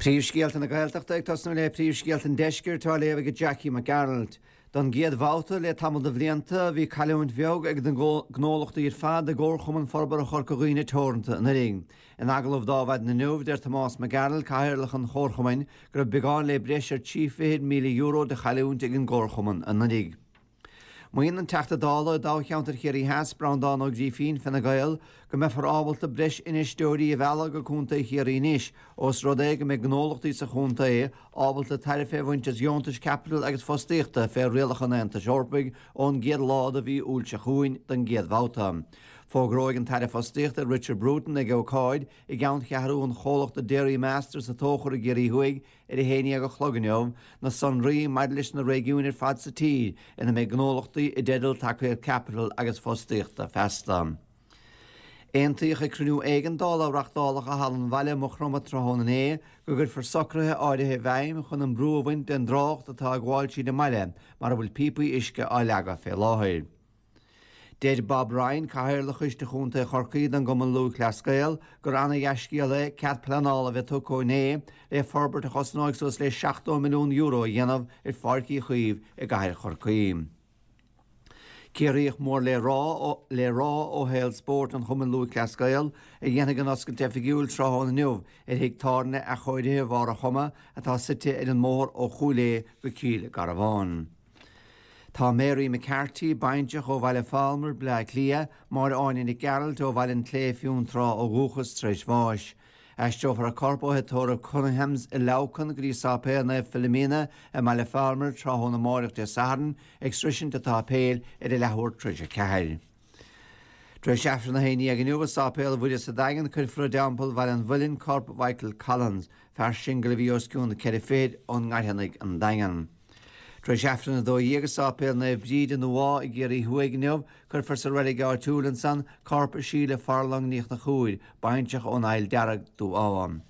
Príomhscéalta na Gaeltachta ag tosnú le príomhscéalta an Deiscirt á léamh ag Jackie Mac Gearailt. Don gcéad bhabhta le tamall de bhlianta, bhí cailliúint bheag ag na gnólachtaí ar fad i gComharchumann Forbartha Chorca Dhuibhne Teoranta anuraidh. In agallamh d'Adhmhaidin inniu, deir Tomás Mac Gearailt, Cathaoirleach an Chomharchumainn, go raibh beagán le breis ar €23,000 de chailliúint ag an gComharchumann anuraidh. Maíonn an Teachta Dála i dtoghcheantar Chiarraí Theas, Breandán Ó Grífín, Fine Gael, go mbeifear ábalta breis infheisteoirí a mhealladh go Contae Chiarraí anois ós rud é go mbeidh gnólachtaí sa chontae ábalta tairbhe a bhaint as dheontais caipitil agus fostaíochta fé rialacha an Aontais Eorpaigh ón gcéad lá de mhí Iúil seo chugainn don gcéad bhabhta. Fógróidh an tAire Fostaíochta Richard Bruton ag ócáid i gceanncheathrú an chomhlachta Dairy Master sa Tóchar i gCiarraí Thuaidh Ar a haon dhéag a chlog inniu, na sonraí maidir leis na réigiúin ar fad sa tír ina mbeidh gnólachtaí i dteideal tacaíocht caipitil agus fostaíochta feasta. Aontaíodh ag cruinniú éigeandála a reachtáladh i Halla an Bhaile i Maigh Chromtha tráthnóna inné go gcuirfear socruithe áirithe i bhfeidhm chun an brú a bhaint den dtrácht atá ag gabháil tríd an mbaile mar a bhfuil píopaí uisce á leagadh fé láthair. Deir Bob Ryan, Cathaoirleach Choiste Chontae Chorcaí don gCumann Lúthchleas Gael, gur ana-dhea-scéal é cead pleanála a bheith tugtha inné le forbairt a chosnóidh suas le €70 milliún a dhéanamh ar Pháirc Uí Chaoimh i gcathair Chorcaí. Ciarraíoch mór le rá le rá ó shaol spóirt an Chumainn Lúthchleas Gael a dhéanfaidh an oscailt oifigiúil tráthnóna inniu ar thigh tábhairne athchóirithe Bharr a' Choma atá suite ar an mbóthar ó Chúil Aodha go Cill Garbháin. Tá Mary McCarthy, baintreach ó Bhaile Phalmar, Bleá Cliath, Máire Áine Nic Gearailt ó Bhaile an tSléibhe Fionntrá ó dhúchas tar éis bháis. Aistreofar a corp ó thigh tórraimh Cunninghams i Leamhcán go dtí Sáipéal Naomh Philomena i mBaile Phalmar tráthnóna amáireach Dé Sathairn ag sroisint an tsáipéil ar a leathuair tar éis a ceathair. Tar éis Aifreann a haon dhéag inniu i Sáipéal Mhuire sa Daingean cuirfear i dTeampall Bhaile an Mhuilinn corp Mhichael Collins, fear singil a bhí os cionn ceithre fichid ón nGairfeanaigh an Daingean. Tar éis Aifreann 12 i Sáipéal Naomh Bríd i nDumha i gCiarraí Thuaidh inniu cuirfear sa reilig áitiúil ansan corp Síle Farlong Ní Chonchúir, baintreach ón Aill Dearg, Dumha.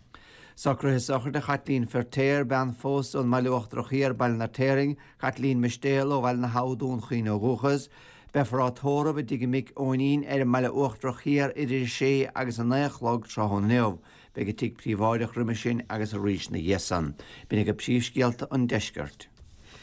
Socruithe sochraide Chaitlín Feirtéar, bean phósta ón mBaile Uachtarach Thiar, Baile an Fheirtéaraigh, Caitlín Mistéal ó Bhaile na hAbha, Dún Chaoin ó dhúchas. Beifear á tórramh i dtigh a mic Eoinín ar an mBaile Uachtarach Thiar idir 6 agus 9 a chlog tráthnóna inniu. Beidh i dtigh príobháideach roimhe sin agus arís ina dhiaidh san. B'in agaibh príomhscéalta an deiscirt.